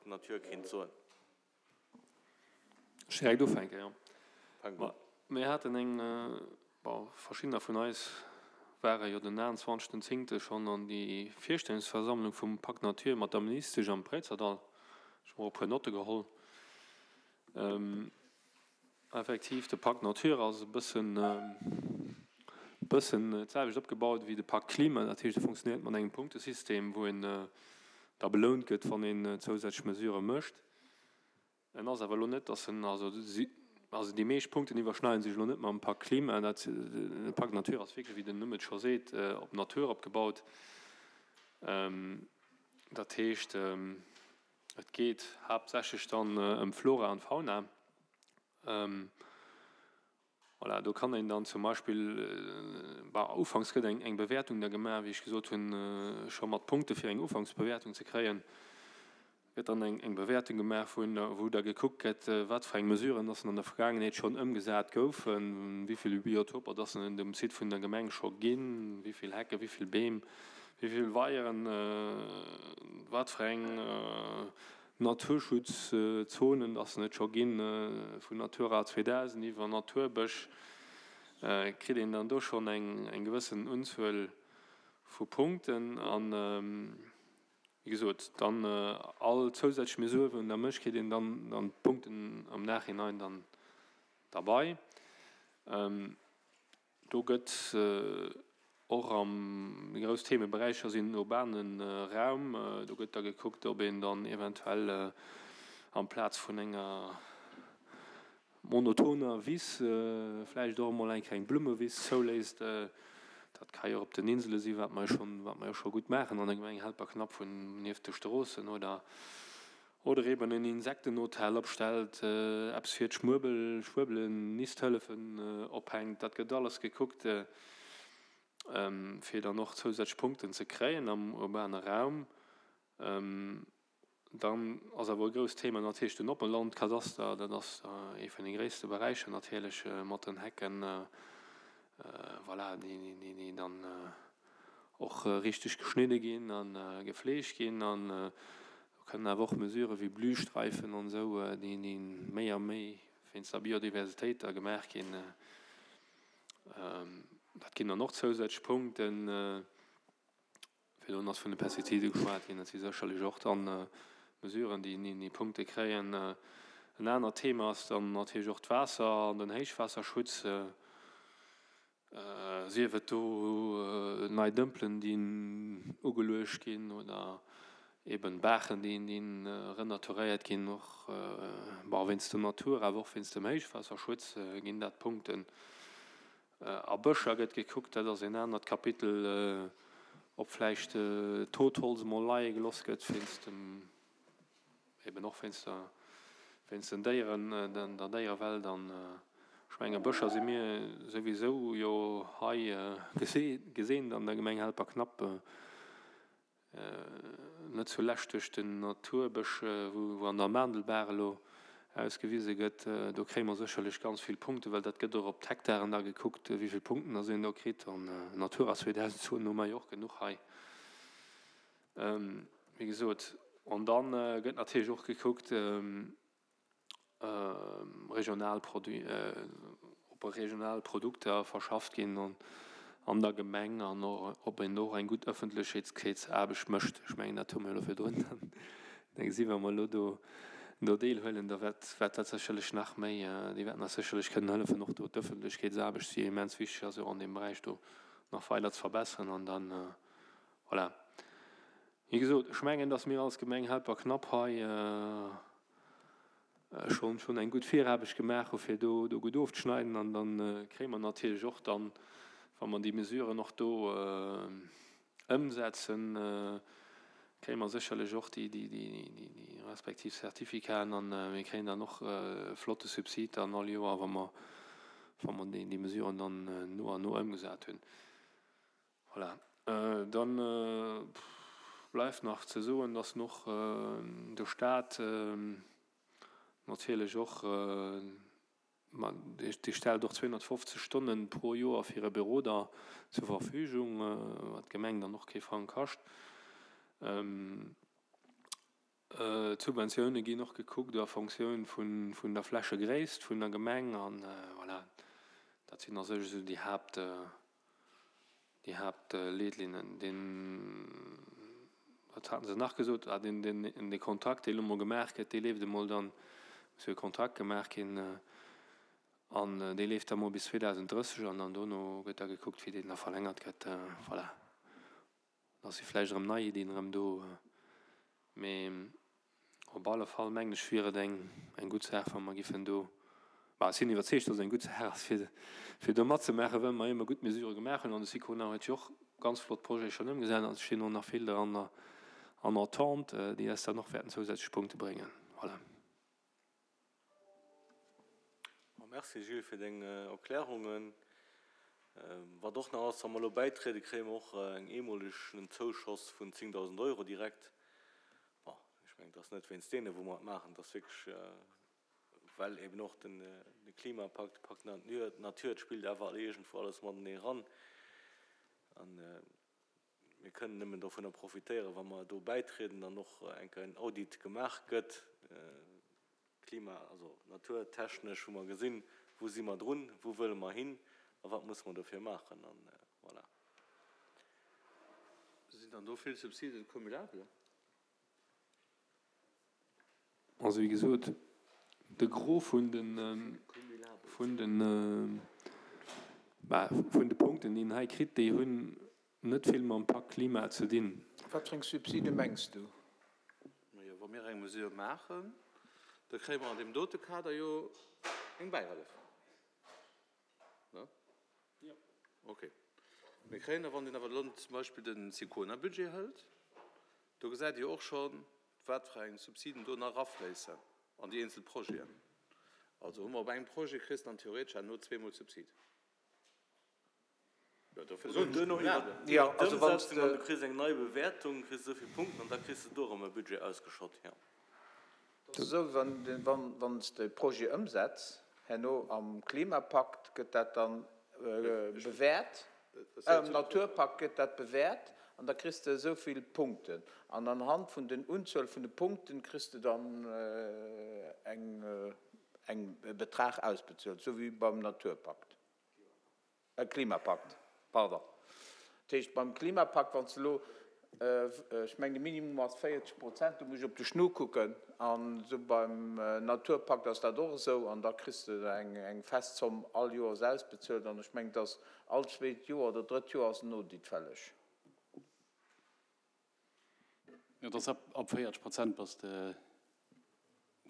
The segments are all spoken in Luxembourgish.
Pacte Nature kéint soen. Ech direkt ufänken, jo. Fänk un. Mir haten eng, bon, verschiddener vun eis ware jo den 29. Zéngte schonn an déi Virstellungsversammlung vum Pacte Nature mat der Ministesch am Préizerdall. Ech hu mer och e puer Notte geholl. Effektiv, de Pacte Nature ass e bëssen, bëssen d'selwecht opgebaut wéi de Pacte Klima. Dat heescht, e funktionéiert mat engem Punktesystem, wou een da belount gëtt, wann een zousätzlech Mesurë mécht. En ass awer elo net, dass en, also si, also déi meescht Punkten iwwerschneiden sech elo net mam Pacte Klima. Dat, de Pacte Nature ass wierklech, wéi den Numm et scho seet, op d'Natur opgebaut. Dat heescht, Et geet haaptsächlech dann ëm Flora an Fauna. Voilà, do kann een dann zum Beispill, bah, ufanks gëtt eng eng Bewäertung da gemaach, wéi ech gesot hunn, scho mat Punkte fir eng Ufanksbewäertung ze kréien, gëtt dann eng eng Bewäertung gemaach, wou wou da gekuckt gëtt, wat fir eng Mesuren dass an der Vergaangenheet schonn ëmgesat goufen, wéi vill Biotoper dass en um Site vun der Gemeng scho ginn, wéi vill Hecken, wéi vill Beem. Wéi vill Weieren, wat fir eng Naturschutzzonen dass et scho ginn, vun Natura 2000 iwwer Naturbësch, kritt een dann do schonn eng gewëssen Unzuel vu Punkten. An, wéi gesot, dann all zousätzlech Mesurë wou een da mécht, kritt een dann d'Punkten am Nachhinein dann derbei. Do gëtt och am, déi grouss Themeberäicher sinn den urbane Raum, do gëtt da gekuckt, ob een dann eventuell amplaz vun enger monotoner Wiss vläicht och emol eng kleng Blummewiss zouléisst. Dat ka jo och op den Insele sinn, wat mer jo schonn, wat mer jo scho gutt maachen an der Gemeng Helperknapp vun nieft de Stroossen oder Oder eben en Insektenhotel opstellt, eppes fir d'Schmuebel, Schwuebelen, Nisthëllefen ophänkt. Dat gëtt alles gekuckt, fir dann och zousätzlech Punkten ze kréien am urbane Raum. Dann ass awer e grousst Thema natierlech den Oppelandkadaster. Dat ass ee vun de gréisste Beräicher natierlech mat den Hecken, voilà, déi dann och richteg geschnidde ginn a gefleegt ginn. An do kënnen awer och Mesurë wéi Blühstreifen an esou, déi méi a méi wéinst der Biodiversitéit da gemaach ginn, dat ginn dann och zousätzlech Punkten. Virdrun ass vun de Pestizide geschwat ginn. Dat si sécherlech och dann Mesuren, déi Punkte kréien. En anert Thema ass dann natierlech och d'Waasser an den Héichwaasserschutz. Sief et do nei Dëmpelen, déi ugeluecht ginn oder eben Baachen, déi renaturéiert ginn, och wéinst der Natur, awer och wéinst dem Héichwaasserschutz ginn dat Punkten. A Bëscher gëtt gekuckt, dat ass een anert Kapitel, ob vläicht Totholz emol leie geloss gëtt wéinst dem. Eben och wéinst der, wéinst den Déieren, der Déierewelt. An ech mengen, Bëscher si mir souwisou jo hei geseent an der Gemeng Helperknapp, net zulescht duerch den Naturbësch, wou an der Maandelbaach elo ausgewise gëtt. Do kréie mer sécherlech ganz vill Punkten, well dat gëtt och op d'Hektaren da gekuckt, wéi vill Punkten dass een do kritt. An Natura 2000 Zonen hu mer jo och genuch hei. Wéi gesot, an da gëtt natierlech och gekuckt, regional Produit, ob regional Produkter verschafft ginn an der Gemeng an ob een do och eng gutt Ëffentlechekeetsaarbecht mécht. Ech mengen, dat hu mir elo virdrun da gesi wa mer elo do do deelhuelen, da wäert wäert dat sécherlech nach méi, déi wäerten eis sécherlech kënnen hëllefen, och do d'Ëffentlechkeetsaarbecht, déi immens wichteg ass, och an deem Beräich do nach weider ze verbesseren an dann, Voilà. Wéi gesot, ech mengen, dass mir als Gemeng Helperknapp hei schonn schonn eng gutt Viraarbecht gemaach hu fir do do gutt ofzeschneiden. An da kréie mer natierlech och dann, wa mer déi Mesuren och do ëmsetzen, kréie mer sécherlech och déi déi déi respektiv Certificaten an mir kréien dann och e flotte Subsid dann all Joer, wa mer wa mer déi déi Mesuren dann no an no ëmgesat hunn. Voilà. Dann bleift nach ze soen, dass och de Stat natierlech och, ma dee stellt och 250 Stonne pro Joer fir e Beroder zur Verfügung, wat d'Gemeng dann och kee Frang kascht. D'Subventioune ginn och gekuckt a Fonctioun vun der Flächegréisst vun der Gemeng an voilà, dat sinn a sech esou déi Haapt, déi Haaptleetlinnen. Deen, wat haten se nach gesot? Ah, deen, deen, dee Kontrakt, dee elo mol gemaach gëtt, dee leeft emol dann, muss jo e Kontrakt gemaach ginn, an dee leeft da mol bis 2030 an dann dono gëtt da gekuckt, wéi deen da verlängert gëtt. Voilà. Da si vläicht erëm nei Iddien erëm do. Mee op alle Fall mengen ech wier et eng eng gutt Saach, wa mer giffen do, bah ech sinn iwwerzeegt, datt et eng gutt Saach ass fir fir do matzemaachen, well mer ëmmer gutt Mesurë gemaach hunn. An de Sicona huet jo och ganz flott Projete schonn ëmgesat an et stinn och nach vill der an der an Attente, déi eis dann och wäerten zousätzlech Punkte bréngen. Voilà. Merci Gilles fir deng Erklärungen. Wat och nach ass, wa mer elo bäitrieden, kréie mer och eng eemolegen Zouschoss vun 10.000 Euro direkt. Bon, ech mengen, et ass net wéinst deene wou mer et maachen, et ass wierklech well eben och de Klimapakt, de Pakt Natur, et spillt awer all iergendwou alles matenee eran. An mir kënnen nëmmen dovunner profitéieren, wa mer do bäitrieden an och eng Kéier en Audit gemaach gëtt, klima-, also naturtechnesch, wou mer gesinn, wou si mer drun, wou wëlle mer hin a wat musse mer dofir maachen. An voilà. Sinn dann do vill Subsiden cumulable? Also wéi gesot, de Gros vun de, vun de, bah, vun de Punkten, déi een hei kritt, déi hunn net vill mam Pak Klima ze dinn. Wat fir eng Subside mengs du? Majo, wa mir eng Mesure maachen, da kréie mer an deem dote Kader jo eng Bäihëllef. Ne? Jo. Ok. Mir kréien da, wann een awer elo zum Beispill de Sicona-Budget hëlt, do gesäit Dir och schonn, wat fir eng Subsiden do nach erafléissen an déi eenzel Projeten. Also hu mer op engem Projet, kriss de dann theoretesch herno zweemol Subsid. Jo, dofir soen ech duerno iwwer d'Ëmsetzung an du kriss eng nei Bewäertung, kriss esou vill Punkten an da kriss de do erëm e Budget ausgeschott. Jo. Dat ass esou, wann s de e Projet ëmsetz, herno am Klimapakt gëtt dat dann bewäert, am Naturpakt gëtt dat bewäert an da kriss de esou vill Punkten. An anhand vun den Unzuel vun de Punkten kriss de dann eng e Betrag ausbezuelt, esou wéi beim Naturpakt. Klimapakt, pardon. Dat heescht, beim Klimapakt, wann s de elo, ech mengen de Minimum ass 40 Prozent, do muss ech op de Schnu kucken, an esou beim Naturpakt ass dat och esou, an da kriss de eng fest Zomm all Joers ausbezuelt, an ech mengen, et ass all zweet Joer oder drëtt Joer ass en Audit fälleg. Jo, et ass ab 40 Prozent bass de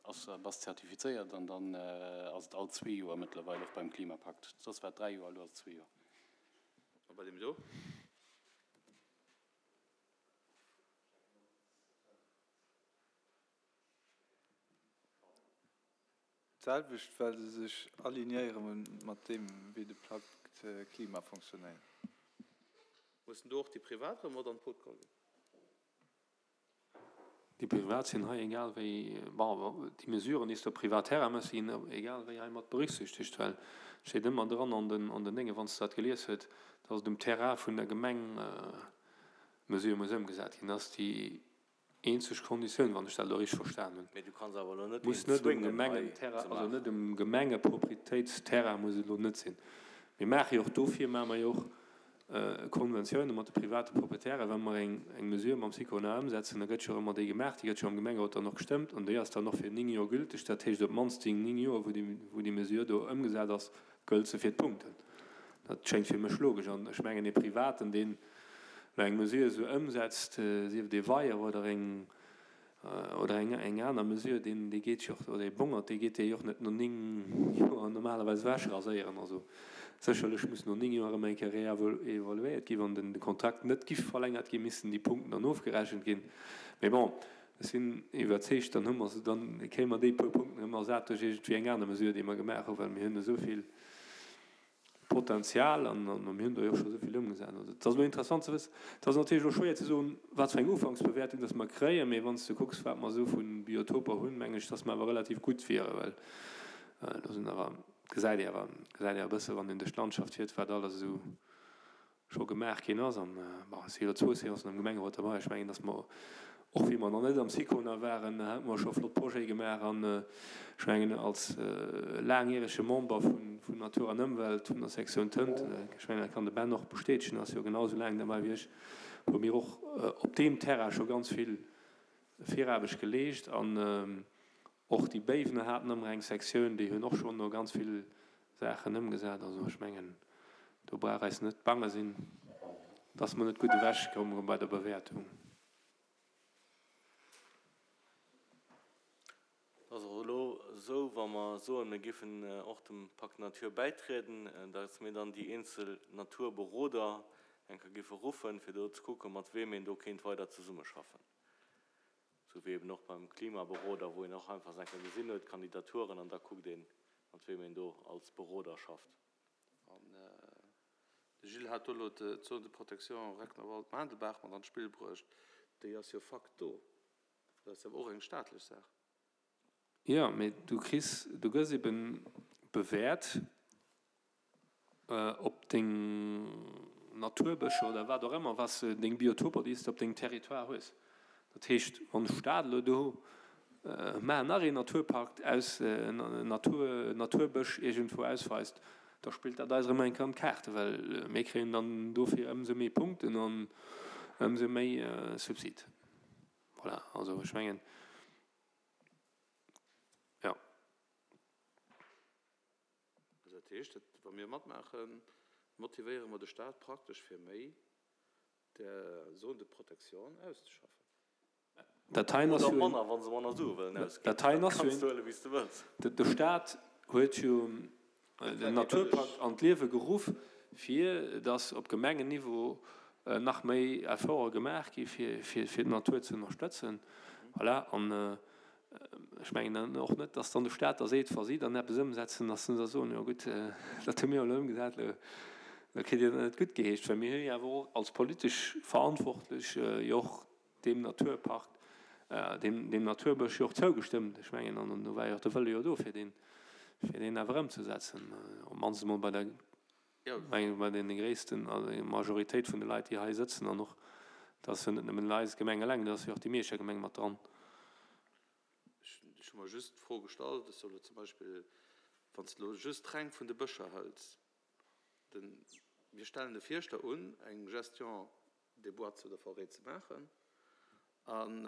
ass bass zertifizéiert an dann ass et all zwee Joer mëttlerweil och beim Klimapakt. Soss war et dräi Joer, elo ass et zwee Joer. A bei deem do? D'selwecht, well se sech alignéiere mat deem, wéi de Pakt Klima fonctionnéiert. Mussen do och déi Privat erëm mat an d'Boot geholl ginn? Déi Privat sinn hei egal wéi, bon, déi Mesuren, déi s de op Privatterrain méchs, sinn egal wéi hei mat berücksichtegt, well et steet ëmmer dran an den, an den Déngen, wann s de dat gelies huet, dass et um Terrain vun der Gemeng d'Mesure muss ëmgesat ginn. Dat ass déi eenzeg Konditioun, wann ech dat elo richteg verstan hunn. Mee du kanns awer elo net een Muss net um zwéngen hei Gemengenterrain, ze also net maachen. um Gemengeproprietéitsterrain muss et elo net sinn. Mir maache jo och, dofir maache mer jo och Konventioune mat de private Proprietären, wa mer eng eng Mesure mam Sicona ëmsetzen, da gëtt jo ëmmer déi gemaach, déi gëtt jo am Gemengerot dann och gestëmmt an déi ass dann och fir 9 Joer gülteg. Dat heescht op d'mannst déi 9 Joer, wou déi wou déi Mesure do ëmgesat ass, gëllt se fir d'Punkten. Dat schéngt fir mech logesch an ech mengen ee Privaten, deen elo eng Mesure esou ëmsetzt, sief et ee Weier oder eng oder eng eng aner Mesure, deen dee geet jo och, oder ee Bongert, dee geet dee jo och net no 9 Joer normalerweis ewech raséieren. Also sécherlech muss no 9 Joer erëm eng Kéier réevaluéiert ginn. Wann den de Kontrakt net giff verlängert ginn, missten déi Punkten dann ofgerechent ginn. Mee bon, ech sinn iwwerzeegt, dann hu mer se, dann kréie mer déi puer Punkten erëm ersat duerch iergendwéi eng aner Mesure, déi mer gemaach hunn, well mir hunn esou vill Potenzial an mir hunn do jo och scho esou vill ëmgesat. Also et ass elo interessant ze wëssen, et ass natierlech elo schwéier ze soen, wat fir eng Ufanksbewäertung dass mer kréien, mee wann s de kucks, wat mer esou vu Biotoper hunn, mengen ech, dass mer awer relativ gutt wieren, well do sinn awer, gesäit ee awer, gesäit ee awer e bësse wann een duerch d'Landschaft fiert, wat alles esou scho gemaach ginn ass. An bon, et si jo elo zwou Séancen am Gemengerot derbei, ech mengen, dass mer. Och wéi mer nach net am Sicona waren, hate mer scho flott Projete gemaach. An ech mengen, als laangjärege Member vun Natur an Ëmwelt, vun der Sektioun Tënt, ech mengen, dat kann de Ben och bestätegen, ass jo genau esou laang derbäi wéi ech, hu mir och op deem Terrain scho ganz vill Viraarbecht geleescht. An och déi Béiwener haten ëmmer eng Sektioun, déi hunn och schonn do ganz vill Saachen ëmgesat. Also ech mengen, do brauch eis net bange sinn, dass mer net gutt ewechkommen bei der Bewäertung. Et ass och elo esou, wa mer soen, mir géifen och dem Pacte Nature bäitrieden, datt mir dann déi eenzel Naturberoder eng Kéier géife ruffen, fir do ze kucken, mat weem een do kéint weider zesummeschaffen. Esou wéi eben och beim Klimaberoder, wou een och einfach eng Kéier gesinn huet, d'Kandidaturen, an da kuckt een, mat weem een do als Beroder schafft. An de Gilles hat do elo d'Zone de protection Recknerwald-Maandelbaach mat an d'Spill bruecht. Déi ass jo Fakt do. Dat ass awer och eng staatlech Saach. Jo, mee du kriss, du gëss eben bewäert op deng Naturbëscher oder wat och ëmmer, wat s de, deng Biotoper, déi s de op dengem Territoire hues. Dat heescht, wann de Staat elo do mar nach een Naturpark aus Natur, Naturbësch iergendwou ausweist, da spillt dat eis erëm eng Kéier an d'Kaarte, well mir kréien dann dofir ëmsou méi Punkten an ëmsou méi Subsid. Voilà, also ech mengen, jo. Also dat heescht, dat wa mir matmaachen, motivéiere mer de Staat praktesch fir méi där Zone de protection auszeschaffen. Dat heien ass Oder jo een, manner, wa se manner Sue wëllen ausginn. dat heien Dat ass jo kanns een, du huelen, wéi s de wëlls. de Staat huet jo den Naturpakt an d'Liewe geruff, fir datt op Gemengenniveau nach méi Efforte gemaach gi fir fir d'Natur ze ënnerstëtzen. Voilà, an ech mengen dann och net, datt dann de Staat da seet, wa si dann eppes ëmsetzen, datt se da soen, jo gutt, dat hu mir elo ëmgesat, elo kritt Dir dat net guttgeheescht. Well mir hu jo awer och als politesch Verantwortlech jo och deem Naturpark, deem, deem Naturbësch jo och zougestëmmt. Ech mengen, an do war jo och de Wëlle jo do, fir deen, fir deen awer ëmzesetzen, op d'mannst emol bei der, mengen ech, bei deene gréissten, also Majoritéit vun de Leit, déi hei sëtzen. An och, dat ass jo net nëmmen eis Gemeng eleng, do ass jo och déi Mierscher Gemeng mat dran. Ech hu mer just d'Fro gestallt, ech soll elo zum Beispill, wann s de elo just reng vun de Bëscher hëls, den, mir stellen de Fierschter un, eng Gestion des bois oder forêts ze maachen. An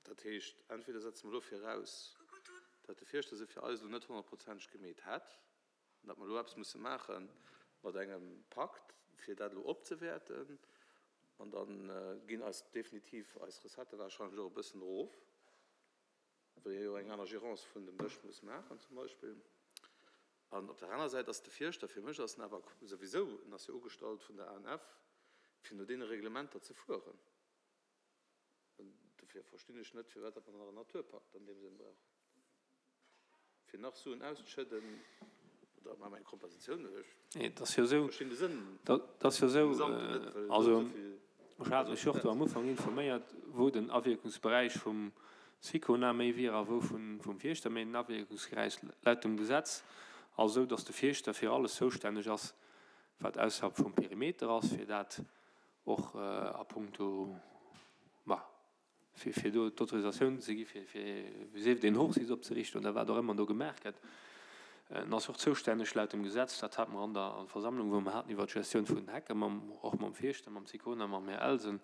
dat heescht, entweder setze mer elo viraus, datt de Fierschter se fir eis elo net honnertprozenteg gemeet hätt, an datt mer elo eppes musse maache mat engem Pakt, fir dat elo opzewäerten, an da ginn eis definitiv eis Recettë warscheinlech och e bëssen erof. Well ee jo eng aner Gérance vun dem Bësch muss maachen zum Beispill. An op der aner Säit ass de Fierschter, fir mech ass en awer souwisou, en ass jo ugestallt vun der ANF, fir no deene Reglementer ze fueren. An dofir verstinn ech net, firwat datt mer nach en Naturpakt an deem Sënn brauchen, fir nach Suen auszeschëdden oder maache mer eng Kompensatioun. Ech Et ass jo esou, verstinn de Sënn dat ass jo esou, vum Gesamten net, well also esou vill. Ech hat mech och do am Ufank informéiert, wou den Awierkungsberäich vum Sicona méi wier a wou vum Fierschter méi. Den Awierkungsberäich laut dem Gesetz ass esou, datt de Fierschter fir alles zoustänneg ass, wat ausserhalb vum Perimeter ass, fir dat och a puncto, ma fir fir do d'Autorisatioun ze gi fir fir sief et een Hochsitz opzeriichten oder wat och ëmmer do gemaach gëtt. En ass och zoustänneg laut dem Gesetz, dat hate mer an der Versammlung, wou mer haten iwwert d'Gestioun vun den Hecken, mam, och mam Fierschter, mam Sicona, mam Här Elsen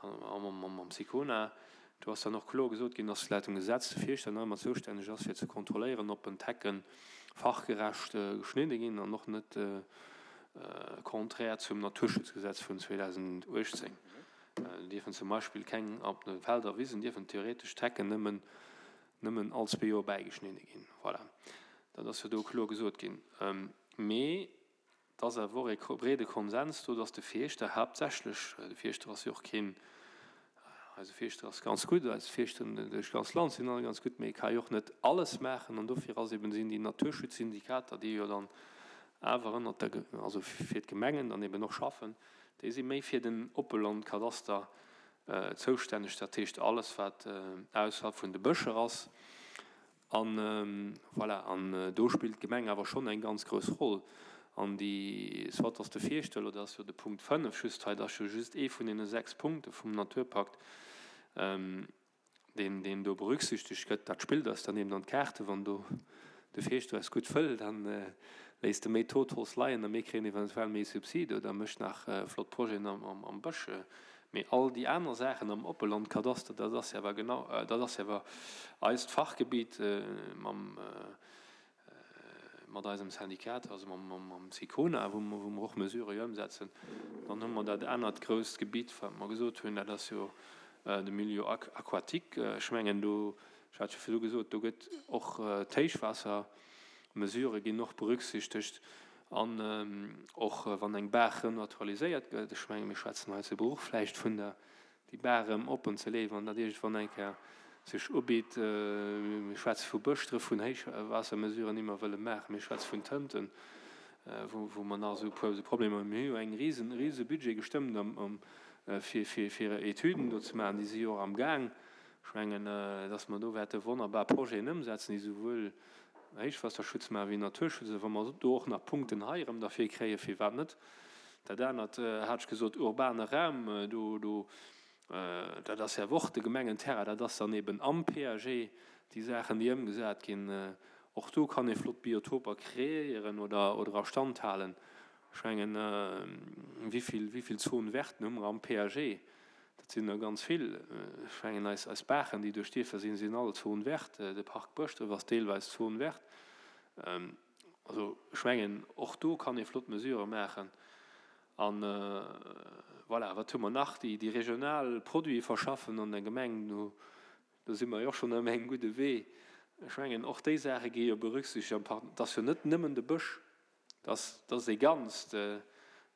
a mam Sicona, do ass dann och kloer gesot ginn, dass laut dem Gesetz de Fierschter nach ëmmer zoustänneg ass fir ze kontrolléieren, ob en d'Hecke fachgerecht geschnidde ginn an och net contraire zum Naturschutzgesetz vun 2018. Dierfen zum Beispill keng op de Felder Wisen dierfen theoretesch d'Hecken nëmmen nëmmen all zwee Joer bäigeschnidde ginn. Voilà, dat ass jo do kloer gesot ginn. Mee et ass awer och e breede Konsens do, datt de Fierschter haaptsächlech, de Fierschter ass jo och keen, eise Fierschter ass ganz gutt, eis Fierschteren duerch d'ganz Land sinn alle ganz gutt, mee e ka jo och net alles maachen. An dofir ass eben, sinn déi Naturschutzsyndikater, déi jo dann awer ënnert der, also fir d'Gemengen dann eben och schaffen, Déi si méi fir den Oppelandkadaster zoustänneg, dat heescht alles wat ausserhalb vun de Bëscher ass. An voilà, an do spillt d'Gemeng awer schonn eng ganz grouss Roll. An déi, soit ass de Fierschter, elo dat ass jo de Punkt 5 just hei, dat ass jo just ee vun deene 6 Punkte vum Naturpakt. Deen, deen do berücksichtegt gëtt, dat spillt eis dann eben an d'Kaarte. Wann do de Fierschter eis gutt wëll, da léisst e méi Totholz leien a mir kréien eventuell méi Subside oder mécht nach flott Projeten am Bësch. Mee all déi aner Saachen am Oppelandkadaster, dat ass jo awer genau, dat ass jo awer eist Fachgebiet mam, mat eisem Syndikat, also mam SICONA, wou mer och Mesurë jo ëmsetzen. Dann hu mer dat anert grousst Gebitt, wat mer gesot hunn, dat ass jo de Milieu aquatique. Ech mengen do, ech hat jo virdu gesot, do gëtt och d'Héichwaassermesurë ginn och berücksichtegt an och wann eng Baach renaturaliséiert gëtt, ech menge mir schwätzen hei zu Bruch vläicht vun der déi Bar erëm oppen ze léiwen an dat iergendwann eng Kéier sech ubitt. Mir schwätze vu Bëschdref, vun Héichwaassermesuren, déi mer wëlle maachen. Mir schwätze vun Tënten, wou mer nach esou e puer esou Problemer hunn. Mir hu jo eng risen, rise Budget gestëmmt fir, fir, fir Etüden do ze maachen. Déi si jo och am Gaang. Ech mengen, dass mer do wäerte wonnerbar Projeten ëmsetzen, déi souwuel Héichwaasserschutz maachen wéi Naturschutz. A wa mer do och nach Punkten hei erëm derfir kréien, firwat net? Dat anert hat ech gesot, urbane Raum, do, do, dat ass jo awer och de Gemengenterrain, dat ass dann eben am PAG, déi Saachen, déi ëmgesat ginn. Och do kann ee flott Biotoper kreéieren oder, oder a Stand halen. Ech mengen, wéi vill, wéi vill Zones verten hu mer am PAG? Dat sinn der ganz vill. Ech mengen, eis, eis Baachen, déi duerch d'Dierfer sinn, sinn all Zone verte. De Parc Bëschdref ass deelweis Zone verte. Also, ech mengen, och do kann ee flott Mesurë maachen. An voilà, wat hu mer nach? Déi, déi regional Produite verschaffen an der Gemeng, do, do si mer jo och schonn op engem gudde Wee. Ech mengen, och déi Saache gi jo berücksichtegt am Par. Et ass jo net nëmmen de Bësch. Dat ass ee Ganzt,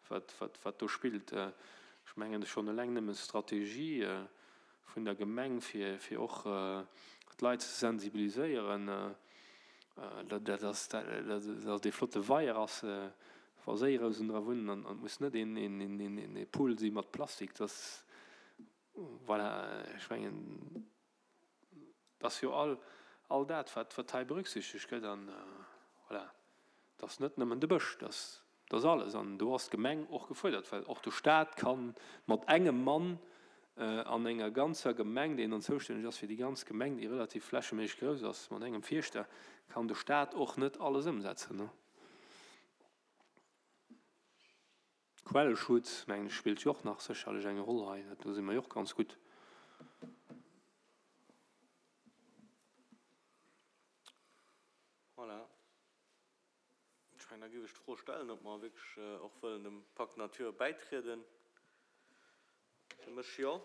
wat do spillt. Ech mengen, schonn eleng nëmmen d'Strategie vun der Gemeng, fir och d'Leit ze sensibiliséieren, datt ee flotte Weier ass, wa Séirousen dra wunnen an et muss net ee Pool si mat Plastik. Voilà, ech mengen. Et ass jo all, all dat, wat, wat hei berücksichtegt gëtt. An voilà, et ass net nëmmen de Bësch, et ass, et ass alles. An do ass d'Gemeng och gefuerdert, well och de Stat ka mat engem Mann an enger ganzer Gemeng, deen dann zoustänneg ass fir déi ganz Gemeng, déi relativ flächeméisseg grouss ass, mat engem Fierschter kann de Stat och net alles ëmsetzen. Quellschutz, mengen ech, spillt jo och nach sécherlech eng Roll hei. Do si mer jo och ganz gutt. Voilà. Ech mengen, da géif ech d'Fro stellen, ob mer wierklech och wëllen dem Pacte Nature bäitrieden. Fir mech jo.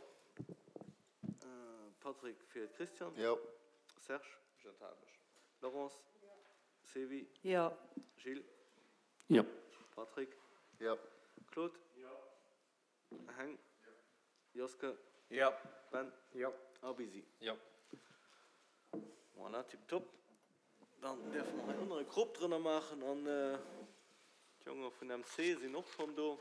Patrick, fir d'Christiane? Jo. Serge? Ech enthale mech. Laurence? Jo. Sylvie? Jo. Gilles? Jo. Patrick? Jo. Claude? Jo. Heng? Jo. Joske? Jo. Ben? Jo. A Busy? Jo. Voilà, tiptop. Dann däerfe mer hei ënner e Krop drënner maachen an d'Jonge vun MC sinn och schonn do.